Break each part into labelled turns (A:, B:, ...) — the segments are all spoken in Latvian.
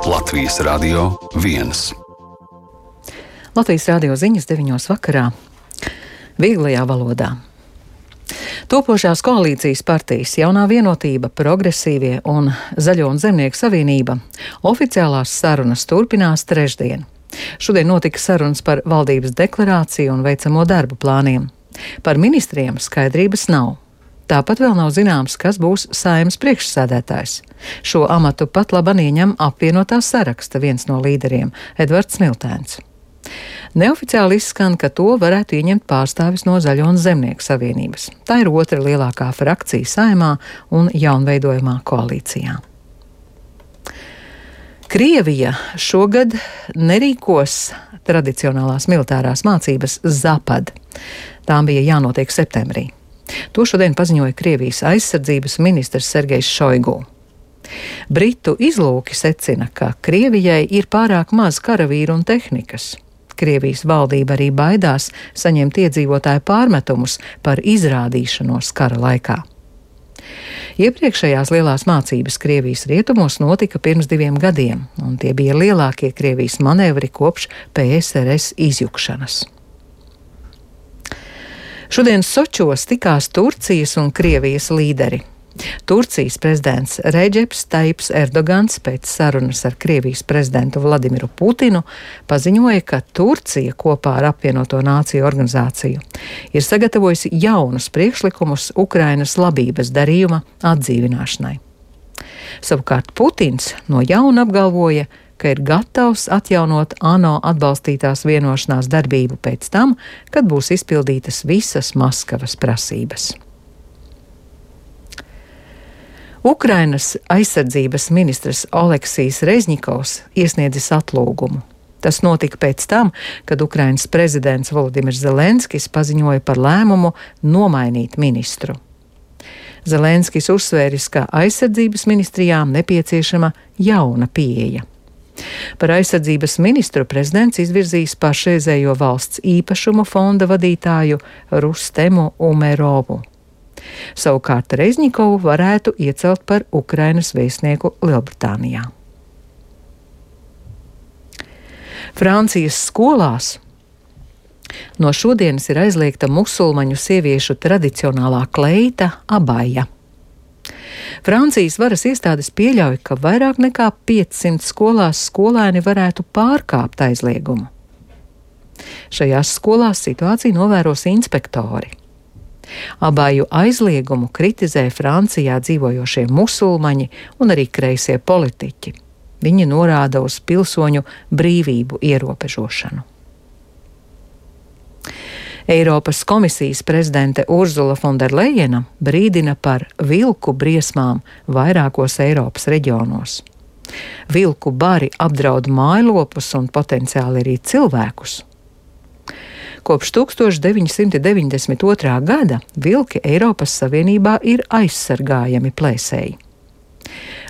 A: Latvijas Radio 1.
B: Latvijas radio ziņas 9 vakarā. Vieglajā valodā. Topošās koalīcijas partijas Jaunā vienotība, Progresīvie un Zaļo un Zemnieku savienība oficiālās sarunas turpinās trešdien. Šodien notika sarunas par valdības deklarāciju un veicamo darbu plāniem. Par ministriem skaidrības nav. Tāpat vēl nav zināms, kas būs Saeimas priekšsēdētājs. Šo amatu pat laban ieņem apvienotā saraksta viens no līderiem – Edvards Smiltēns. Neoficiāli izskan, ka to varētu ieņemt pārstāvis no Zaļo un Zemnieku savienības. Tā ir otra lielākā frakcija Saeimā un jaunveidojamā koalīcijā. Krievija šogad nerīkos tradicionālās militārās mācības Zapad. Tām bija jānotiek septembrī. To šodien paziņoja Krievijas aizsardzības ministrs Sergejs Šoigu. Britu izlūki secina, ka Krievijai ir pārāk maz karavīru un tehnikas. Krievijas valdība arī baidās saņemt iedzīvotāju pārmetumus par izrādīšanos kara laikā. Iepriekšējās lielās mācības Krievijas rietumos notika pirms 2 gadiem, un tie bija lielākie Krievijas manevri kopš PSRS izjukšanas. Šodien Sočos tikās Turcijas un Krievijas līderi. Turcijas prezidents Redžeps Taips Erdogans pēc sarunas ar Krievijas prezidentu Vladimiru Putinu paziņoja, ka Turcija kopā ar apvienoto nāciju organizāciju ir sagatavojusi jaunus priekšlikumus Ukrainas labības darījuma atdzīvināšanai. Savukārt Putins no jauna apgalvoja, ka ir gatavs atjaunot ANO atbalstītās vienošanās darbību pēc tam, kad būs izpildītas visas Maskavas prasības. Ukrainas aizsardzības ministrs Oleksijs Rezņikovs iesniedzis atlūgumu. Tas notika pēc tam, kad Ukrainas prezidents Volodimirs Zelenskis paziņoja par lēmumu nomainīt ministru. Zelenskis uzsvēris, ka aizsardzības ministrijām nepieciešama jauna pieeja. Par aizsardzības ministru prezidents izvirzīs pašreizējo valsts īpašumu fonda vadītāju Rustemu Umerovu. Savukārt Rezņikovu varētu iecelt par Ukrainas vēstnieku Lielbritānijā. Francijas skolās no šodienas ir aizliegta musulmaņu sieviešu tradicionālā kleita abaja. Francijas varas iestādes pieļauj, ka vairāk nekā 500 skolās skolēni varētu pārkāpt aizliegumu. Šajās skolās situāciju novēros inspektori. Abaju aizliegumu kritizē Francijā dzīvojošie musulmaņi un arī kreisie politiķi. Viņi norāda uz pilsoņu brīvību ierobežošanu. Eiropas komisijas prezidente Urzula Fonderlejena brīdina par vilku briesmām vairākos Eiropas reģionos. Vilku bari apdraud mājlopus un potenciāli arī cilvēkus. Kopš 1992. gada vilki Eiropas Savienībā ir aizsargājami plēsēji.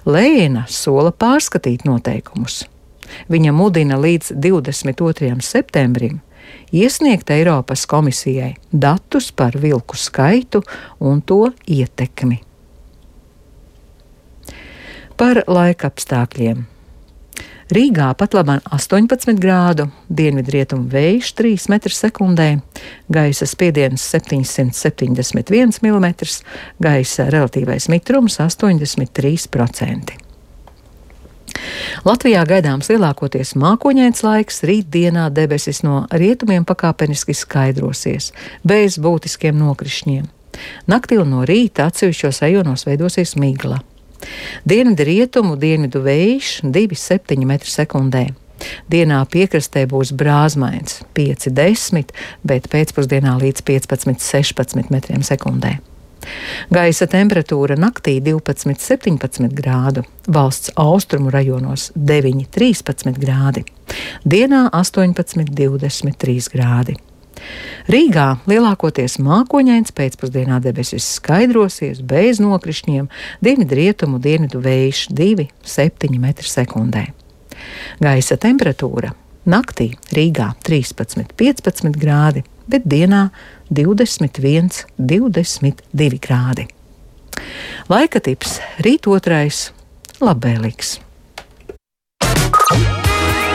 B: Lejena sola pārskatīt noteikumus. Viņa mudina līdz 22. septembrim iesniegt Eiropas komisijai datus par vilku skaitu un to ietekmi. Par laikapstākļiem. Rīgā patlaban 18 grādu, dienvidrietumu vējš 3 m/sekundē, gaisa spiediens 771 mm, gaisa relatīvais mitrums 83%. Latvijā gaidāms lielākoties mākoņains laiks, rītdienā debesis no rietumiem pakāpeniski skaidrosies, bez būtiskiem nokrišņiem. Naktī un no rīta atsevišķos rajonos veidosies migla. Dienvidu rietumu dienvidu vējš 2,7 m/sekundē. Dienā piekrastē būs brāzmains 5-10, bet pēcpusdienā līdz 15-16 m/sekundē. Gaisa temperatūra naktī 12-17 grādu, valsts austrumu rajonos 9-13 grādi, dienā 18-23 grādi. Rīgā lielākoties mākoņains, pēcpusdienā debesis skaidrosies, bez nokrišņiem, dienvidrietumu dienvidu vējš 2,7 m/sekundē. Gaisa temperatūra naktī Rīgā 13-15 grādi, bet dienā 21-22 grādi. Laika tips rīt 2. labvēlīgs.